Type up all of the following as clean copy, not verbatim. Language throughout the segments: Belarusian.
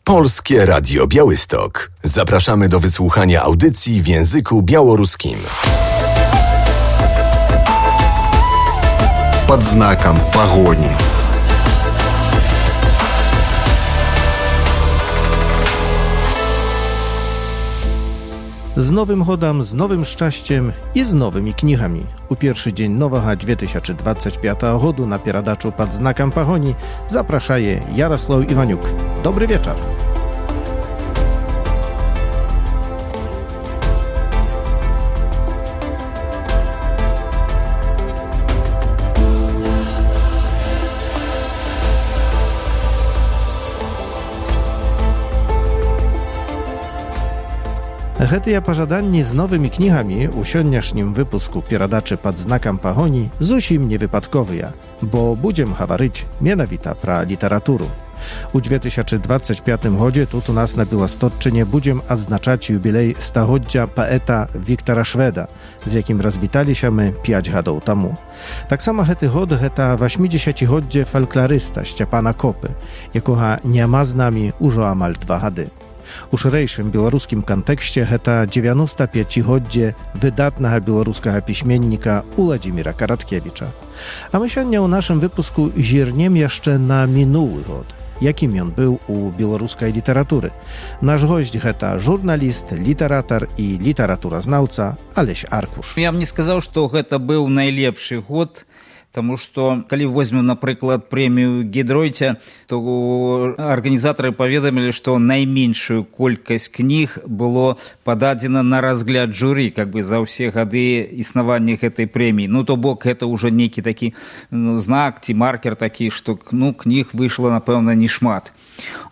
Polskie Radio Białystok. Zapraszamy do wysłuchania audycji w języku białoruskim. Под знаком погони. Z nowym hodam, z nowym szczęściem i z nowymi knihami. U pierwszy dzień nowego 2025 году na pieradaczu pod znakiem pogoni zapraszaje Jarosław Iwaniuk. Dobry wieczór. Гэтыя пажаданні з новымі кнігамі ў сённяшнім выпуску перадачы пад знакам пагоні зусім не выпадковыя, бо будзем гаварыць менавіта пра літаратуру. У 2025 годзе тут у нас на Білостотчыне будзем адзначаць юбілей стагоддзя паэта Віктара Шведа, з якім развіталіся мы 5 гадоў таму. Таксама гэты год гэта 80-годдзе фалькларыста Сцяпана Копы, якога няма з намі ўжо амаль 2 гады. У шырэйшым беларускім кантэксце гэта 95-годдзе выдатнага беларускага пісьменніка Уладзіміра Караткевіча. А мы сёння ў нашым выпуску зірнем яшчэ на мінулы год, якім ён быў у беларускай літаратуры. Наш госць гэта журналіст, літаратар і літаратуразнаўца Алесь Аркуш. Я б не сказаў, што гэта быў найлепшы год, Таму што, калі возьмем, напрыклад, прэмію Гідройця, то арганізатары паведамілі, што найменшую колькасць кніг было пададзена на разгляд журы, за ўсе гады існавання гэтай прэміі. То бок, гэта ўжо нейкі такі знак ці маркер такі, што кніг выйшла, напэўна, не шмат.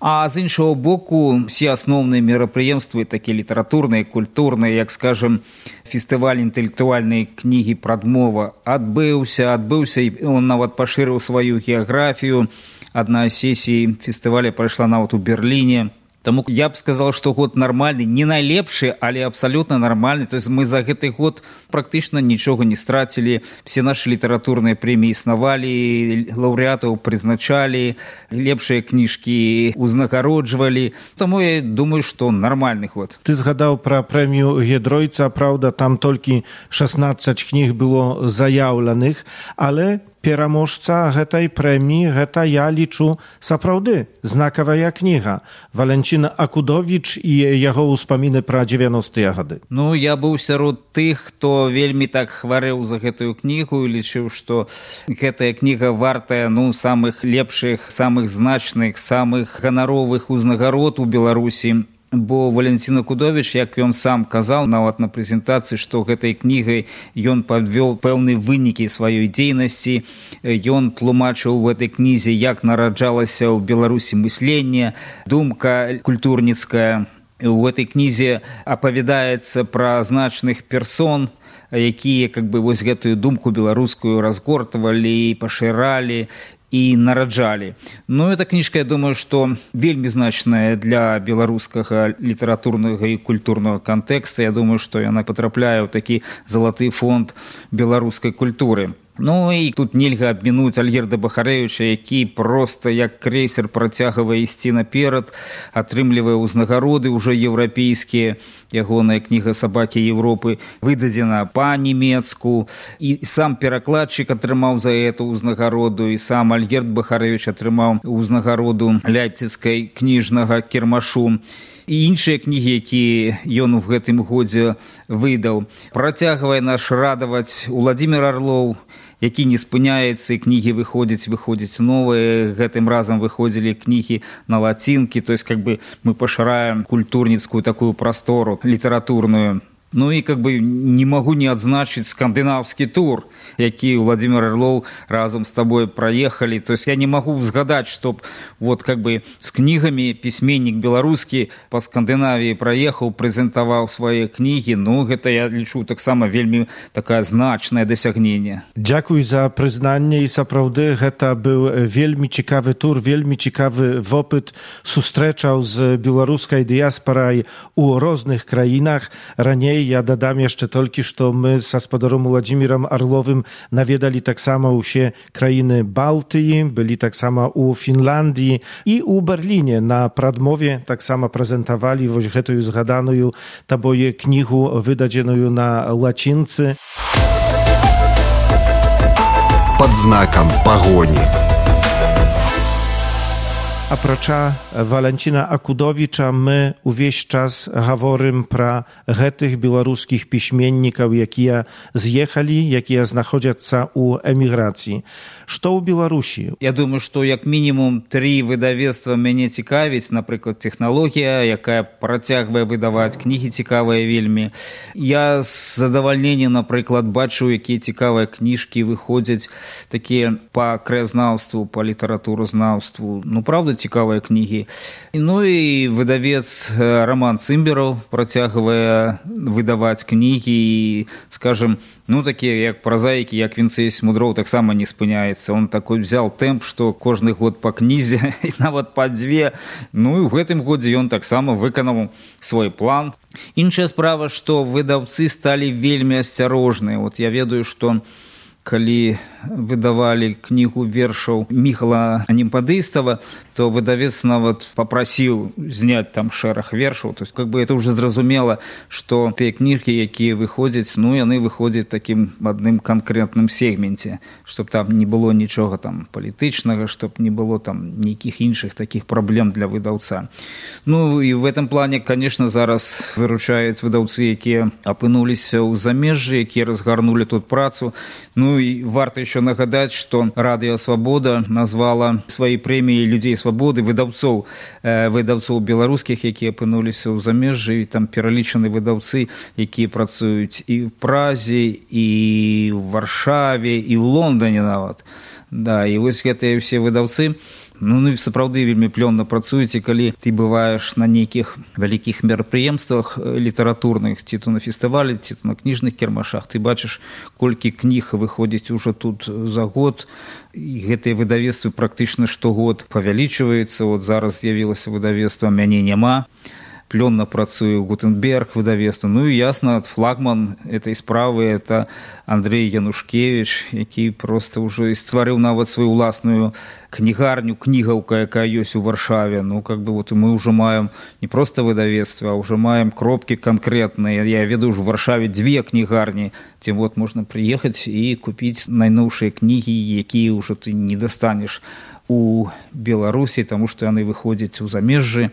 А з іншого боку, всі асноўныя мерапрыемствы, такія літаратурныя, культурныя, як, скажем, фестываль інтэлектуальнай кнігі «Прадмова» адбыўся, і он нават пашырыў сваю геаграфію. Адна з сесій фестываля прайшла нават у Берліне. Таму я б сказал, што год нармальны, не найлепшы, але абсалютна нармальны. То есть мы за гэты год практычна нічога не страцілі. Все нашы літаратурныя прэміі існавалі, лаўрэатаў прызначалі, лепшыя кніжкі узнагароджвалі. Таму я думаю, што нармальны год. Ты згадаў пра прэмію Гідройца, праўда, там толькі 16 кніг было заяўленых, але пераможца гэтай прэміі, гэта я лічу сапраўды знакавая кніга. Валенціна Акудовіч і яго ўспаміны пра 90-е гады. Я быў сярод тых, хто вельмі так хварэў за гэтую кнігу і лічыў, што гэтая кніга вартая самых лепшых, самых значных, самых ганаровых узнагарод у Беларусі. Бо Валентин Акудовіч, як ён сам казаў, нават на прэзентацыі, што гэтай кнігай ён падвёў пэўныя вынікі сваёй дзейнасці. Ён тлумачыў у гэтай кнізе, як нараджалася ў Беларусі мысленне, думка культурніцкая. У гэтай кнізе апавядаецца пра значных персон, якія гэтую думку беларускую разгортвалі, пашыралі і нараджалі. Эта кніжка, я думаю, што вельмі значная для беларускага літаратурнага і культурнага кантэкста. Я думаю, што яна патрапляе ў такі залаты фонд беларускай культуры. І тут нельга абмінуць Альгерда Бахарэвіча, які проста як крэйсер працягвае ісці наперад, атрымлівае ўзнагароды ўжо еўрапейскія. Ягоная кніга «Сабакі Европы» выдадзена па-нямецку, і сам перакладчык атрымаў за эту ўзнагароду, і сам Альгерд Бахарэвіч атрымаў ўзнагароду ляйпціцкай кніжнага кірмашу. І іншыя кнігі, якія ён у гэтым годзе выдаў. Працягвае наш радаваць Уладзімір Арлоў, які не спыняецца, і кнігі выходзяць новыя. Гэтым разам выходзілі кнігі на лацінкі, то есть мы пашыраем культурніцкую такую прастору літаратурную. Не магу не адзначыць скандынаўскі тур, які Уладзімір Арлоў разам з табой праехалі. То есть я не магу згадаць, што з кнігамі пісьменнік беларускі па Скандынавіі праехаў, прэзентаваў свае кнігі. Гэта, я лічу, таксама вельмі такая значнае дасягненне. Дзякуй за прызнанне, і сапраўды гэта быў вельмі цікавы тур, вельмі цікавы вопыт сустрэчаў з беларускай дыяспарай у розных краінах. Раней dalej. Ja dodam jeszcze tylko, że my z Spodorem Władimирem Arlowym nawiedali tak samo u się krainy Bałtyki, byli tak samo u Finlandii i u Berlinie na Pradmowie tak samo prezentowali właśnie tę zgadaną taboje knihu wydadzieną na łacincy. Под знаком погони. Aprocza Walencina Akudowicza, my увесь czas говорим про tych białoruskich piśmienników, jakie zjechali, jakie знаходяться у emigracji. Что у Беларуси? Я думаю, што як мінімум 3 выдавецтва мяне цікавіць, напрыклад, тэхналогія, якая працягвае выдаваць кнігі цікавыя вельмі. Я з задавальненнем, напрыклад, бачу, якія цікавыя кніжкі выходзяць, такія па краязнаўству, па літаратуразнаўству. Ну, правда, цікавыя кнігі. Ну і выдавец Роман Цымбераў працягвае выдаваць кнігі і, скажем, ну, такія як празаікі, як Вінцый Смудроў, таксама не спыняецца. Он такой взял тэмп, што кожны год па кнізе, і нават па 2. Ну, і ў гэтым годзе ён таксама выканаў свой план. Іншая справа, што выдаўцы сталі вельмі асцярожныя. Вот я ведаю, што калі выдавалі кнігу вершаў Міхала Анімпадыстава, то выдавец нават папрасіў зняць там шэраг вершаў. То есть, как бы это уже зразумела, што тыя кніжкі, якія выходзяць, ну, яны выходзяць такім адным канкрэтным сегменце, чтоб там не было нічога там палітычнага, чтоб не было там нейкіх іншых такіх праблем для выдаўца. Ну, і в этом плане, конечно, зараз выручаюць выдаўцы, якія апынуліся ў замежжы, якія разгарнулі тут працу. Ну, и варто еще нагадать, что Радио Свобода назвала своей премией людей свободы выдавцов белорусских, які опинулись у замежжі, там перелічені видавці, які працюють і в Празі, і в Варшаві, і в Лондоні нават. Да, і ось гэтыя все видавці, ну, сапраўды вельмі плённа працуюць, і калі ты бываеш на нейкіх вялікіх мерапрыемствах літаратурных, ці то на фестывалі, ці то на кніжных кірмашах, ты бачыш, колькі кніг выходзіць ужо тут за год, і гэтыя выдавецтвы практычна штогод павялічваюцца. Вот зараз з'явілася выдавецтва «Мяне няма», плённа працуе Гутенберг выдавецтва. Ну і ясна, флагман этой справы это Андрей Янушкевич, які просто ўжо і стварыў нават сваю ўласную кнігарню, кнігаўка, якая ёсць у Варшаве. Ну, как бы вот мы ўжо маем не просто выдавецтва, а ўжо маем кропкі канкрэтныя. Я ведаю, ў Варшаве 2 кнігарні, дзе вот можна прыехаць і купіць найноўшыя кнігі, якія ўжо ты не дастанеш у Беларусі, таму што яны выходзяць у замежжы.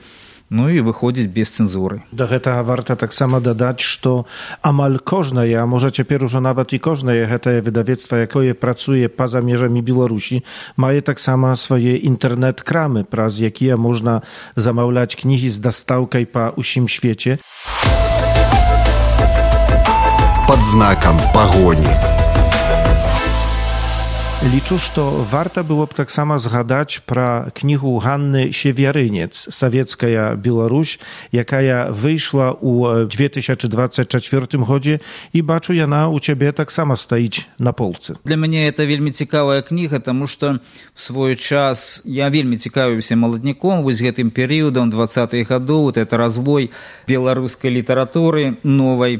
Ну і выходзіць без цэнзуры. Да гэтага варта таксама дадаць, што амаль кожнае, а можа цяпер ужо нават і кожнае гэтае выдавецтва, якое працуе па-за межамі Беларусі, мае таксама свае інтэрнэт-крамы, праз якія можна замаўляць кнігі з дастаўкай па ўсім свеце. Под знаком погони. Liczę, że warto byłoby tak samo zgadać про книгу Ганны Северинец «Советская Беларусь», jaka wyszła u 2024 году, i бачу яна у ciebie tak samo стоїть на полці. Для мяне это вельмі цікавая кніга, тому што в свой час я вельмі цікавіўся маладняком, вось гэтым перыядам 20-х гадоў, вот это развой беларускай літаратуры новай.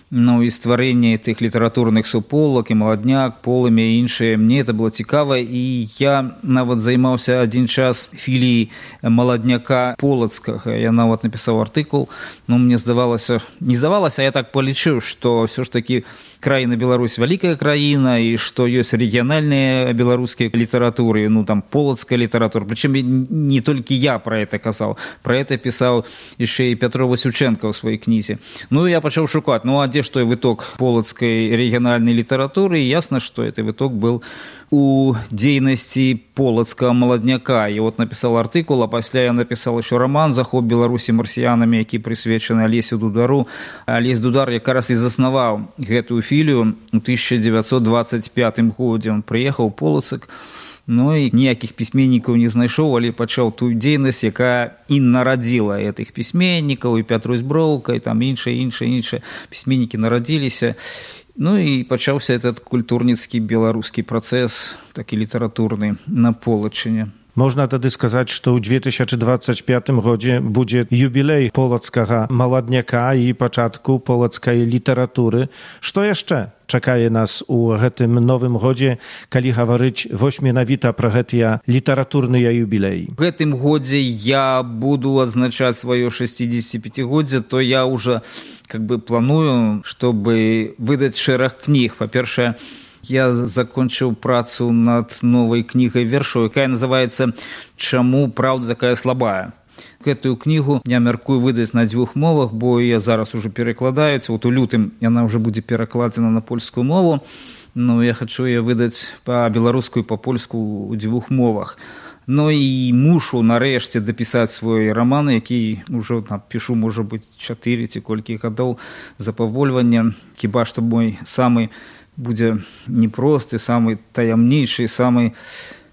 Ну і стварэнне тых літаратурных суполак, і маладняк, полымя і іншыя. Мне это было цікава, і я нават займаўся адзін час філіяй маладняка полацкага. Я нават напісаў артыкул, но мне здавалася, не здавалася, а я так палічыў, што ўсё ж такі краіна Беларусь вялікая краіна, і што ёсць рэгіянальныя беларускія літаратуры, ну там полацкая літаратура. Прычым не толькі я пра это казаў, пра это пісаў яшчэ і Пятро Васюченко ў сваёй кнізе. Ну я пачаў шукаць, ну а дзе ж той выток полацкай рэгіянальнай літаратуры, і ясна, што гэты выток был у дзейнасці полацкага маладняка. І вот напісаў артыкул, а пасля я напісаў еще роман «Захоп Беларусі марсіянамі», які прысвечаны Алесю Дудару. Алесь Дудар якраз і заснаваў гэтую філію у 1925 годзе. Он прыехаў у Полацак, ну і ніякіх пісьменнікаў не знайшоў, але пачаў тую дзейнасць, якая і нарадзіла гэтых пісьменнікаў, і Пятрусь Броўка, і там іншыя пісьменнікі нарадзіліся. Ну і пачаўся этот культурніцкі беларускі працэс, такі літаратурны на Полачыне. Можна тады сказаць, што ў 2025 годзе будзе юбілей полацкага маладняка і пачатку полацкай літаратуры. Што яшчэ чакае нас у гэтым новым годзе, калі гаварыць вось менавіта пра гэтыя літаратурныя юбілеі? В гэтым годзе я буду адзначаць сваё 65-годдзе, то я уже планую, чтобы выдаць шэраг кніг. Па-першае, я закончыў працу над новай кнігай вершаў, якая называецца «Чаму праўда такая слабая?». Гэтую кнігу я мяркую выдаць на 2 мовах, бо я зараз уже перакладаюць. Вот у лютым яна уже будзе перакладзена на польскую мову, но я хочу яе выдаць па-беларуску і па-польску ў 2 мовах. Ну і мушу нарэшце дапісаць свой раман, які ўжо пішу, можа быць, 4 ці колькі гадоў за павольвання. Хіба што мой самы будзе непросты, самы таямнейшы, самы,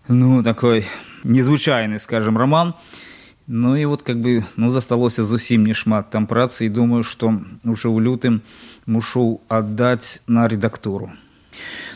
такой незвычайны, скажем, роман. Ну і вот засталося зусім не шмат там працы, і думаю, што уже ў лютым мушу аддаць на рэдактуру.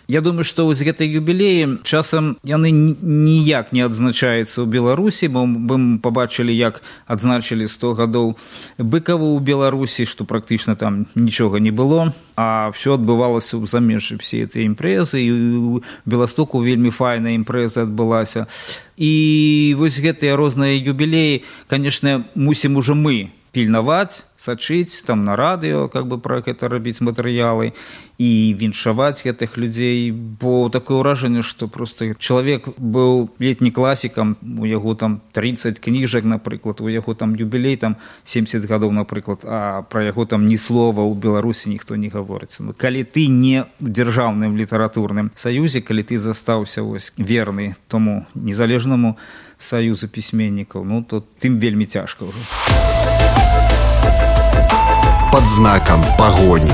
Я думаю, што вось гэтыя юбілеі часам яны ніяк не адзначаюцца ў Беларусі, бо мы пабачылі, як адзначылі 100 гадоў Быкаву ў Беларусі, што практычна там нічога не было, а ўсё адбывалася ў замежжы, все гэтыя імпрэзы, і ў Беластоку вельмі файная імпрэза адбылася. І вось гэтыя розныя юбілеі, канешне, мусім ужо мы пільнаваць, сачыць там на радыё, пра гэта рабіць матэрыялы і віншаваць гэтых людзей, бо такое ўражанне, што проста чалавек быў летні класікам, у яго там 30 кніжак, напрыклад, у яго там юбілей там 70 гадоў, напрыклад, а пра яго там ні слова ў Беларусі ніхто не гаворыць. Калі ты не ў дзяржаўным літаратурным саюзе, калі ты застаўся верны тому незалежнаму саюзу пісьменнікаў, то тым вельмі цяжка ўжо. Под знаком пагоні.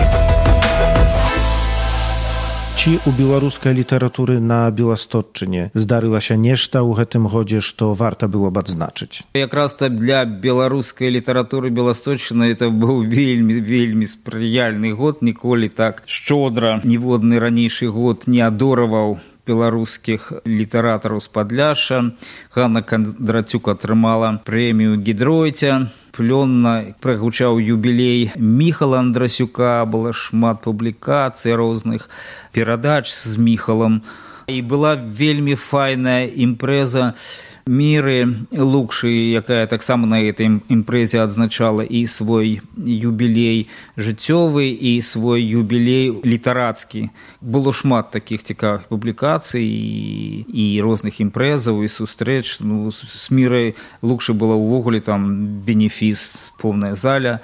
Ці у беларускай літаратуры на Беластотчыне здарылася нешта ў гэтым годзе, што варта было б адзначыць? Якраз для беларускай літаратуры Беластотчына это быў вельмі спрыяльны год. Ніколі так шчодра ніводны ранейшы год не адораваў беларускіх літаратараў з Падляшша. Ганна Кандрацюк атрымала прэмію Гідройця. Плённа прагучаў юбілей Міхала Андрасюка, было шмат публікацый розных перадач з Міхалам. І была вельмі файная імпрэза Міры Лукшы, якая таксама на гэтай імпрэзе адзначала і свой юбілей жыццёвы, і свой юбілей літарацкі. Было шмат такіх цікавых публікацый і розных імпрэзаў, і сустрэч. З Мірай Лукшы была ўвогуле там бенефіс, поўная заля,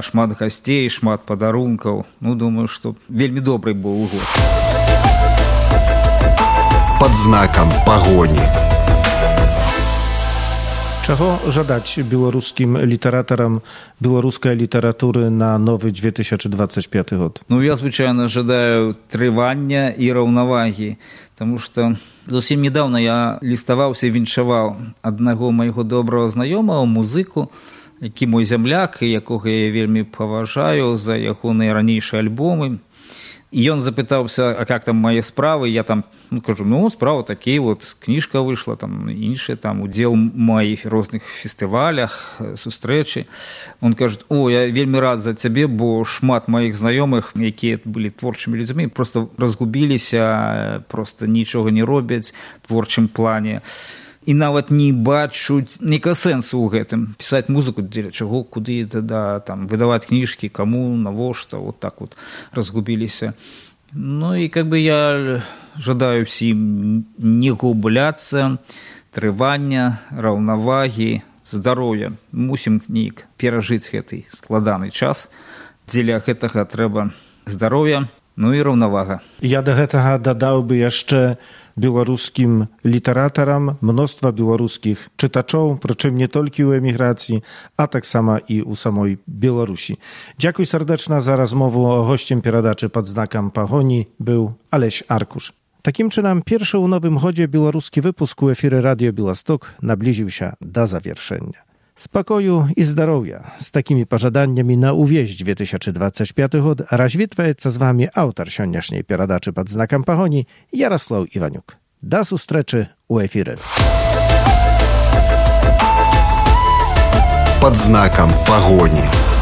шмат гасцей, шмат падарункаў. Думаю, што вельмі добрый быў год. Под знаком пагоні. Чаго жадаць беларускім літаратарам беларускай літаратуры на новы 2025 год? Я, звычайна, жадаю трывання і раўнавагі, таму што зусім недавно я ліставаўся і віншаваў аднаго майго добрага знаёмага, музыку, які мой зямляк, якога я вельмі паважаю за ягоныя ранейшыя альбомы. І ён запытаўся, а как там мае справы? Я там кажу, справа такія, кніжка выйшла, там іншыя, там удзел маіх розных фестывалях, сустрэчы. Он кажа, я вельмі рад за цябе, бо шмат маіх знаёмых, якія былі творчымі людзьмі, просто разгубіліся, просто нічога не робяць в творчым плане. І нават не бачуць ніякага сэнсу ў гэтым. Пісаць музыку, дзеля чаго, куды, там, выдаваць кніжкі, каму, навошта, так разгубіліся. І я жадаю ўсім не губляцца, трывання, раўнавагі, здароўя. Мусім неяк перажыць гэты складаны час. Дзеля гэтага трэба здароўя, і раўнавага. Я да гэтага дадаў бы яшчэ беларускім літаратарам мноства беларускіх чытачоў, прычым не толькі ў эміграцыі, а таксама і ў самой Беларусі. Дзякуй сардэчна за размову. Госцем перадачы Пад знакам пагоні быў Алесь Аркуш. Такім чынам, першы ў новым годзе беларускі выпуск у эфіры Радыё Беласток наблізіўся да завяршэння. Спакою і здароўя. З такімі пажаданнямі на ўвесь 2025 год развітваецца з вамі аўтар сённяшняй перадачы Пад знакам пагоні Ярослаў Іванюк. Да сустрэчы ў эфіры. под знаком погони.